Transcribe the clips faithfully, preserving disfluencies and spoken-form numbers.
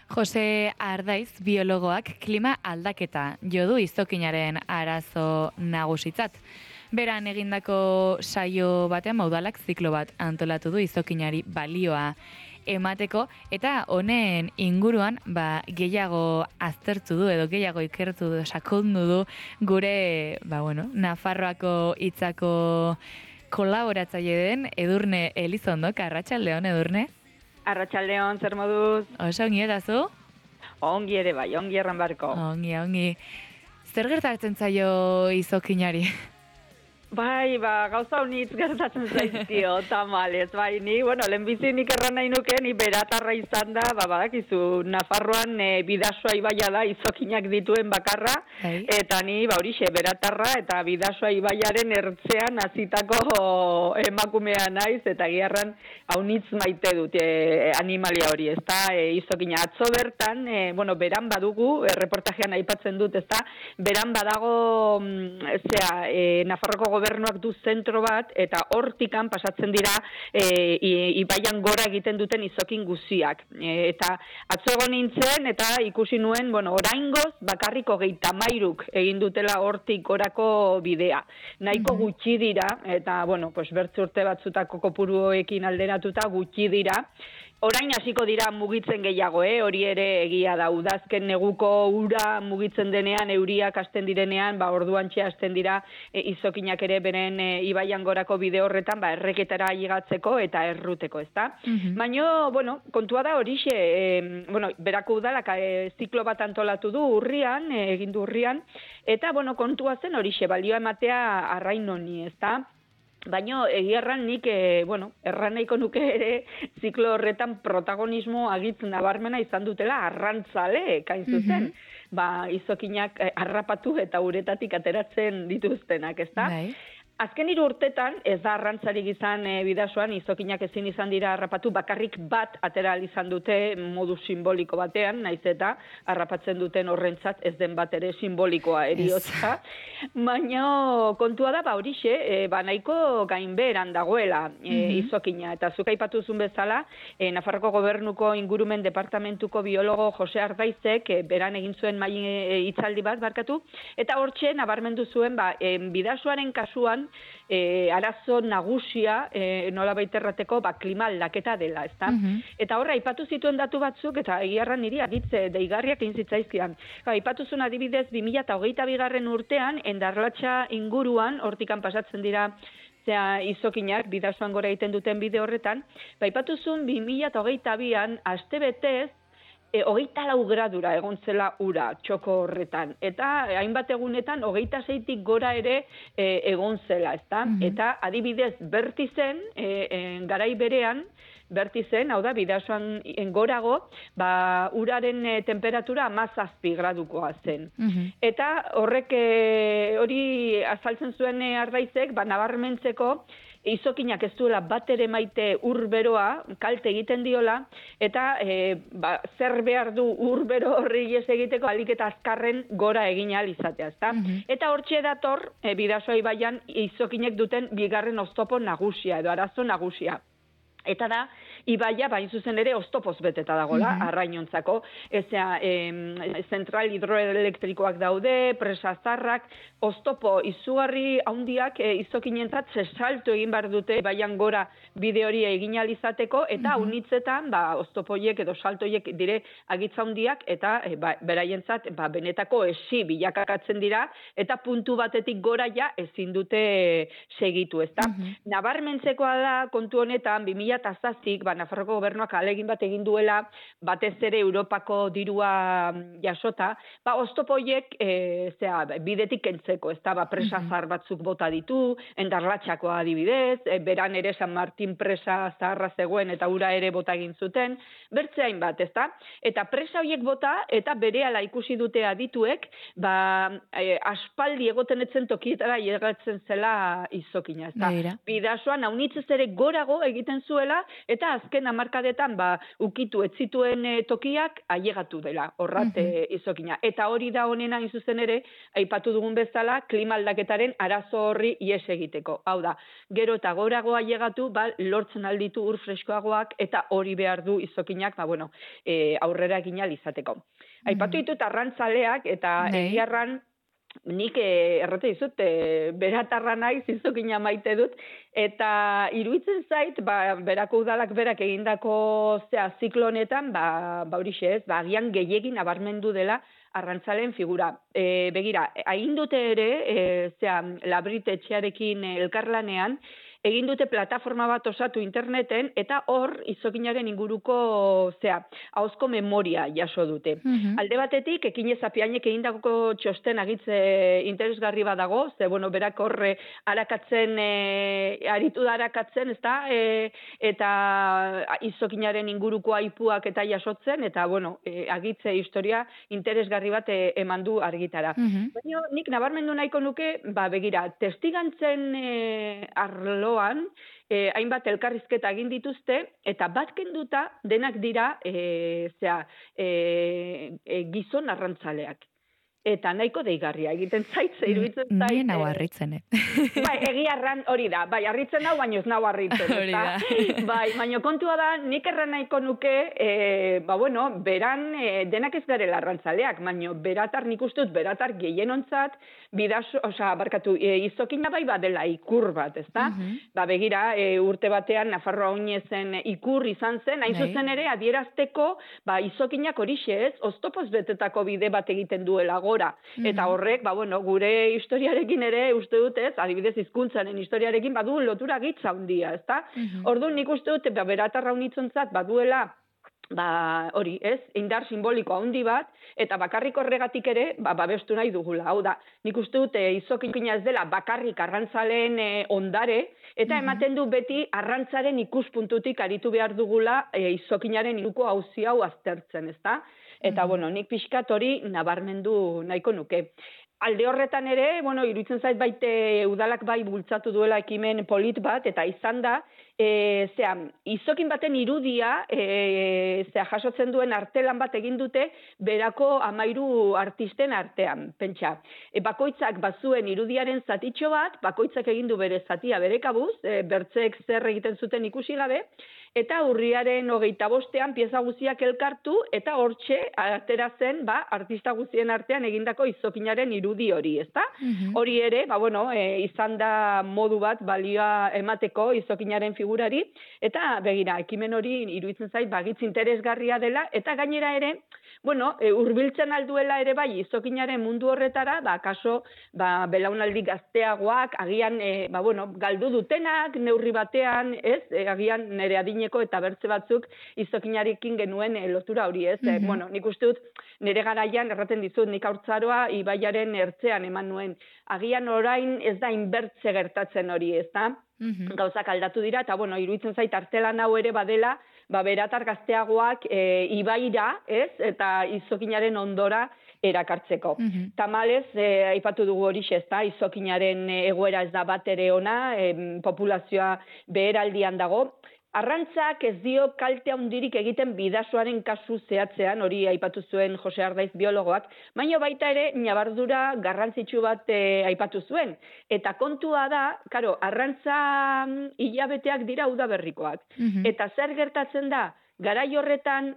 Jose Ardaiz biologoak klima aldaketa jo du izokinaren arazo nagusitzat. Beran egindako saio batean maudalak ziklo bat antolatu du izokinari balioa emateko eta honen inguruan ba, gehiago aztertu du edo gehiago ikertu du, sakondu du gure ba, bueno, Nafarroako hitzako kolaboratzaile den Edurne Elizondok. Arratsaldeon, Edurne. Arratsaldeon, zer moduz? Oso ongi eta zu? Ongi ere bai, ongi erran barko. Ongi, ongi. Zer gertatzen zaio izokinari? Bai, ba, gauza honitz gertatzen zaizkio, tamalez, bai, ni, bueno, lehenbizi nik erran nahi nuke, ni beratarra izan da, ba, badakizu, Nafarroan e, Bidasoa ibaia da izokinak dituen bakarra, Hai. eta ni, ba, horixe, beratarra eta Bidasoa ibaiaren ertzean hasitako emakumea naiz, eta giarran haunitz maite dut e, animalia hori, ez da, e, izokina. Atzo bertan, e, bueno, beran badugu, e, reportajean aipatzen dut, ez da, beran badago, mm, zera, e, Nafarroko gobernuak du zentro bat, eta hortikan pasatzen dira e, ibaian gora egiten duten izokin guziak. E, eta atzo egon nintzen, eta ikusi nuen, bueno, oraingoz bakarrik hogeita hamairuk egin dutela hortik gorako bidea. Nahiko Mhm. gutxi dira, eta, bueno, pues bertze urte batzutako kopuruekin alderatuta gutxi dira. Orain hasiko dira mugitzen gehiago, eh? Hori ere egia da, udazken neguko ura mugitzen denean, euriak hasten direnean, ba, orduantxe hasten dira e, izokinak ere beren e, ibaian gorako bide horretan, ba, erreketara higatzeko eta erruteko, ezta? Mhm. Baina, bueno, kontua da horixe, e, bueno, berako udalak e, ziklo bat antolatu du urrian, e, egin du urrian, eta, bueno, kontua zen horixe, balioa ematea arrain honi, ezta? Baina egiarran nik, e, bueno, erran nahiko nuke ere ziklo horretan protagonismo agitz nabarmena izan dutela arrantzale, kain zuzen. Mhm. Ba, izokinak eh, harrapatu eta uretatik ateratzen dituztenak, ezta? Bai. Azken hiru urtetan, ez da arrantzarik izan e, Bidasoan, izokinak ezin izan dira harrapatu, bakarrik bat atera ahal izan dute modu simboliko batean, naiz eta harrapatzen duten horrentzat ez den bat ere simbolikoa eriotza. Baina kontua da, ba horixe, e, ba nahiko gainbeheran dagoela e, Mhm. izokina. Eta zuk aipatuzun bezala, e, Nafarroko gobernuko ingurumen departamentuko biologo Jose Ardaizek e, beran egin zuen mai e, hitzaldi bat barkatu, eta hortxe nabarmendu zuen, ba, e, Bidasoaren kasuan, E, arazo nagusia e, nola baiterrateko ba, klima aldaketa dela, ezta? Mhm. Eta horra, aipatu zituen datu batzuk, eta egiarran niri agitze deigarriak egin zitzaizkidan. Ba, aipatuzun adibidez, bi mila hogeita bigarren urtean, Endarlatxa inguruan, hortikan pasatzen dira, zera, izokinak, Bidasoan gora egiten duten bide horretan, ba, aipatuzun bi mila hogeita bian, aste betez, E, hogeita lau gradura egon zela ura txoko horretan. Eta e, hainbat egunetan hogeita zeitik gora ere e, egon zela, ezta? Mhm. Eta adibidez bertizen, e, e, garai berean, bertizen, hau da, Bidasoan gorago, ba, uraren e, temperatura hamazazpi gradukoa zen. Mhm. Eta horrek e, hori azaltzen zuen e, Ardaizek, ba, nabarmentzeko, izokinak ez duela bat ere maite urberoa, kalte egiten diola, eta e, ba, zer behar du urbero horri ez egiteko alik eta azkarren gora egin ahal izatea, ezta? Mhm. Eta hortxe dator, e, Bidasoa ibaian izokinek duten bigarren oztopo nagusia, edo arazo nagusia. Eta da, ibaia, bain zuzen ere, oztopoz beteta dagola, Mhm. arrainontzako. Ezea, e, zentral hidroelektrikoak daude, presa zarrak, oztopo izugarri handiak e, izokinentzat zesalto egin behar dute ibaian gora bide hori egin ahal izateko, eta Mhm. unitzetan, ba, oztopoiek edo saltoiek dire agitza handiak, eta e, ba, beraientzat, ba, benetako esi bilakakatzen dira, eta puntu batetik gora ja ezin dute segitu, ezta? Mhm. Nabarmentzekoa da kontu honetan, bi mila zazpik, ba, Nafarroko gobernuak ahalegin bat egin duela, batez ere Europako dirua jasota, ba, oztopoiek, e, zera, bidetik kentzeko, ez da, ba, presa Mhm. zahar batzuk bota ditu, Endarlatxakoa adibidez, e, beran ere San Martin presa zaharra zegoen eta ura ere bota egin zuten, bertze hainbat, ez da? Eta presa horiek bota, eta berehala ikusi dute adituek, ba, e, aspaldi egoten etzen tokietara llegatzen zela izokina, ez da? Begira. Bidasoan, haunitzez ere gorago egiten zuela, duela, eta azken hamarkadetan ba, ukitu ez zituen e, tokiak ailegatu dela, horrat mm -hmm. e, izokina. Eta hori da honena hain zuzen ere, aipatu dugun bezala, klima aldaketaren arazo horri ies egiteko. Hau da, gero eta gorago ailegatu, ba, lortzen alditu ur freskoagoak, eta hori behar du izokinak, ba, bueno, e, aurrera egin ahal izateko. Mm -hmm. Aipatu ditut arrantzaleak, eta egiarran, nik eh, errate dizut, eh, beratarra naiz, izokina maite dut, eta iruditzen zait, ba, berako udalak berak egindako zea ziklonetan, ba, ba horixe ez, ba, agian gehiegin nabarmendu dela arrantzalen figura. E, begira, hain dute ere, e, zea, Labrit etxearekin elkarlanean, egin dute plataforma bat osatu interneten, eta hor izokinaren inguruko, zea, ahozko memoria jaso dute. Mm-hmm. Alde batetik, Ekinez Apiainek egindako txosten agitze interesgarri bat dago, ze, bueno, berak horre arakatzen, e, aritu da arakatzen, ez da, e, eta izokinaren inguruko aipuak eta jasotzen, eta, bueno, e, agitze historia interesgarri bat e, eman du argitara. Mm-hmm. Baina, nik nabarmendu nahiko nuke, ba, begira, testigantzen e, arlo Eh, hainbat elkarrizketa egin dituzte, eta bat kenduta denak dira eh, zera, eh, eh, gizon arrantzaleak. Eta nahiko deigarria egiten zait, iruditzen zait. Nien hau harritzen, eh? Bai, egiarran hori da. Bai, harritzen hau, baino ez nau harritzen. Hori da. Bai, baino kontua da, nik erran nahiko nuke, e, ba bueno, beran e, denak ez garela arrantzaleak, baino beratar nik uste dut, beratar gehienontzat, bidazo, oza, barkatu, e, izokina bai badela ikur bat, ez da? Mm-hmm. Ba, begira, e, urte batean, Nafarroa oinezen ikur izan zen, hain zuzen ere, adierazteko, ba, izokinak horixe ez, oztopoz betetako bide bat egiten duela gora. Eta horrek, ba, bueno, gure historiarekin ere uste dut ez, adibidez hizkuntzaren historiarekin badu lotura gitza handia, ezta? Mm-hmm. Orduan nik uste dut, ba, beratarra unitzontzat baduela, ba, hori, ez, indar simboliko handi bat, eta bakarrik horregatik ere, ba, babestu nahi dugula. Hau da, nik uste dut, e, izokina ez dela bakarrik arrantzaleen e, ondare, eta mm-hmm. ematen du beti arrantzaren ikuspuntutik aritu behar dugula e, izokinaren iruko hauzi hau aztertzen, ezta? Eta, mm-hmm. bueno, nik pixkat hori nabarmendu nahiko nuke. Alde horretan ere, bueno, iruditzen zait baite udalak bai bultzatu duela ekimen polit bat, eta izan da, e, zea, izokin baten irudia, e, zea, jasotzen duen artelan bat egin dute, berako amairu artisten artean, pentsa. E, bakoitzak bazuen irudiaren zatitxo bat, bakoitzak egin du bere zatia bere kabuz, e, bertzek zer egiten zuten ikusi gabe, eta urriaren hogeita bostean pieza guziak elkartu, eta hortxe atera zen, ba, artista guzien artean egindako izokinaren irudi hori, ezta? Mm-hmm. Hori ere, ba, bueno, e, izan da modu bat balioa emateko izokinaren figurari, eta begira, ekimen hori iruditzen zait, bagitz interesgarria dela, eta gainera ere, bueno, e, urbiltzen alduela ere bai izokinaren mundu horretara, ba, kaso, ba, belaunaldi gazteagoak, agian, e, ba, bueno, galdu dutenak, neurri batean, ez, e, agian nere adineko eta bertze batzuk izokinarekin genuen e, lotura hori, ez, mm-hmm. e, bueno, nik uste dut, nere garaian erraten dizut, nik haurtzaroa ibaiaren ertzean eman nuen, agian orain ez da inbertze gertatzen hori, ez da? Mm-hmm. Gauzak aldatu dira, eta bueno, iruditzen zait artelan hau ere badela, ba, beratar gazteagoak e, ibaira, ez, eta izokinaren ondora erakartzeko. Mm-hmm. Tamalez, e, aipatu dugu hori ezta, izokinaren egoera ez da bat ere ona, e, populazioa beheraldian dago. Arrantzak ez dio kalte handirik egiten bidasoaren kasu zehatzean, hori aipatu zuen Jose Ardaiz biologoak, baina baita ere nabardura garrantzitsu bat e, aipatu zuen. Eta kontua da, karo, arrantza hilabeteak dira udaberrikoak. Mm-hmm. Eta zer gertatzen da? Garai horretan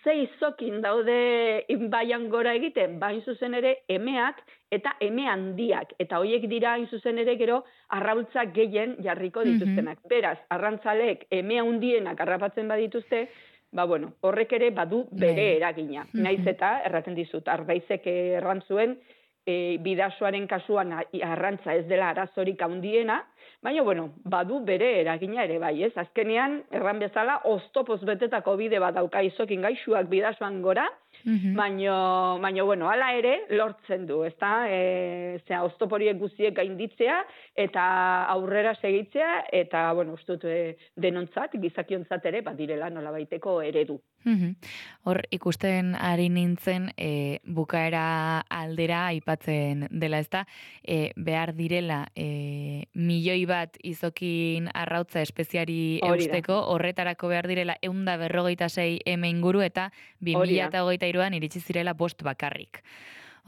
ze izokin daude baian gora egiten, bain zuzen ere emeak eta eme handiak. Eta horiek dira hain zuzen ere gero arraultzak gehien jarriko dituztenak. Mm-hmm. Beraz, arrantzalek eme handienak arrapatzen badituzte, ba bueno, horrek ere badu bere eragina. Mm-hmm. Naiz eta erraten dizut, Ardaizek erran zuen, e, bidasoaren kasuan arrantza ez dela arazorik handiena, baina, bueno, badu bere eragina ere bai, ez? Azkenean, erran bezala, oztopoz betetako bide bat dauka izokin gaixuak bidasoan gora, mm-hmm. baina, baina, bueno, hala ere, lortzen du, ezta? E, zera, oztoporiek guziek gainditzea, eta aurrera segitzea, eta, bueno, ustut, e, denontzat, gizakiontzat ere, badirela nolabaiteko eredu. Mhm. Hor ikusten ari nintzen e, bukaera aldera aipatzen dela, ezta? E, behar direla e, milioi bat izokin arrautza espeziari Hori da, eusteko, horretarako behar direla eunda berrogeita sei eme inguru eta bi hori mila da. eta hogeita iruan iritsi zirela bost bakarrik.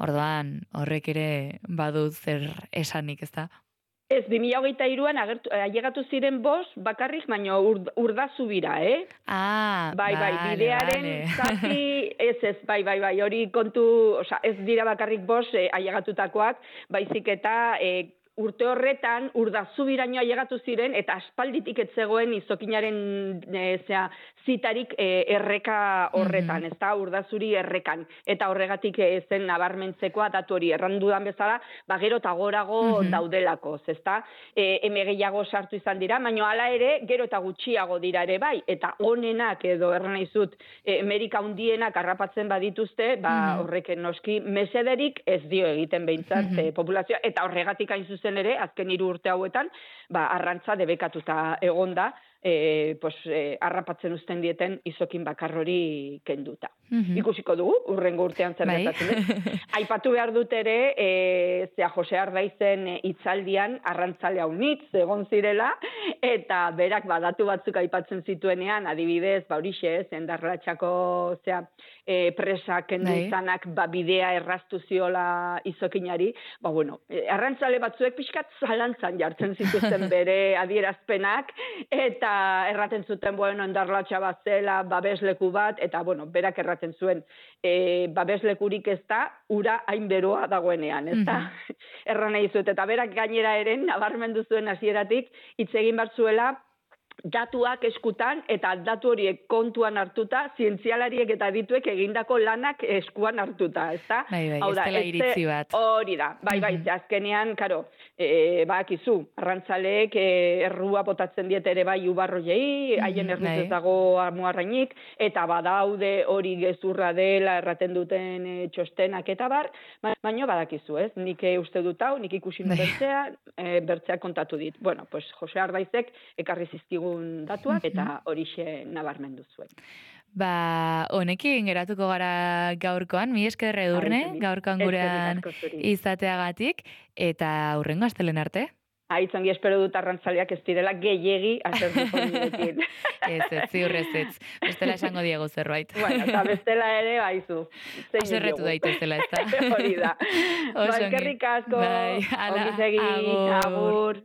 Orduan, horrek ere badu zer esanik, ezta? Ez, bi mila hogeita hiruan agertu, ailegatu ziren bost bakarrik, baina ur, urdazubira, eh? Ah, Bai, bai, vale, bidearen vale. zati, ez ez, bai, bai, bai, hori kontu, osea, ez dira bakarrik bost eh, ailegatutakoak, baizik eta eh, urte horretan urdazubiraino ailegatu ziren eta aspalditik ez zegoen izokinaren e, zea, zitarik e, erreka horretan, Mhm. ezta urdazuri errekan, eta horregatik e, zen nabarmentzekoa datu hori errandudan bezala, ba gero eta gorago Mhm. daudelako, ezta? E, eme gehiago sartu izan dira, baina hala ere gero eta gutxiago dira ere bai, eta onenak edo erran naizut e, Amerika hundienak harrapatzen badituzte, ba Mhm. horrek noski mesederik ez dio egiten behintzat Mhm. e, populazioa, eta horregatik hain zuzen ere, azken hiru urte hauetan, ba, arrantza debekatuta egonda, e, pues, e, harrapatzen uzten dieten izokin bakar hori kenduta. Mhm. Ikusiko dugu, urrengo urtean zer Bai. gertatzen den. Aipatu behar dut ere, e, zea Jose Ardaizen e, hitzaldian arrantzale haunitz egon zirela, eta berak badatu batzuk aipatzen zituenean, adibidez, ba horixe, ez, endarratxako zea, e, presak kendu Bai. izanak, ba, bidea erraztu ziola izokinari, ba, bueno, e, arrantzale batzuek pixkat zalantzan jartzen zituzten bere adierazpenak, eta erraten zuten, bueno, endarlatxa bat zela, babesleku bat, eta, bueno, berak erraten zuen, e, babeslekurik ez da, ura hain beroa dagoenean, ez da? Mhm. Erran nahi zut, eta berak gainera eren, nabarmendu zuen hasieratik, hitz egin bat zuela, datuak eskutan eta datu horiek kontuan hartuta, zientzialariek eta dituek egindako lanak eskuan hartuta, ezta? Bai, bai, Hau ez da, dela ez ze- iritzi bat. Hori da, bai, bai, Mhm. ze azkenean, karo, e, badakizu, arrantzaleek e, errua botatzen diet ere bai ubarroiei, haien Mhm, erruz bai. ez dago amuarrainik, eta badaude hori gezurra dela erraten duten e, txostenak eta bar, ba- baina badakizu, ez? Nik e, uste dut hau, nik ikusi Bai. bertzea, e, bertzea kontatu dit. Bueno, pues Jose Ardaizek ekarri zizkigun datuak eta horixe nabarmendu zuen. Ba, honekin geratuko gara gaurkoan, mi esker Edurne, Ai, gaurkoan eskerrik gurean asko zuri. izateagatik, eta hurrengo astelen arte. Aitzongi espero dut arrantzaleak ez direla gehiegi asertuko nirekin. Ez, ez, ziur ez, ez. Bestela esango diego zerbait. Bueno, eta bestela ere, baizu. zein Haserretu diogu. daitezela, ez da? Hori da. Ba, Oso ongi. eskerrik asko. Bai, hala, Ongi segi, agur. agur.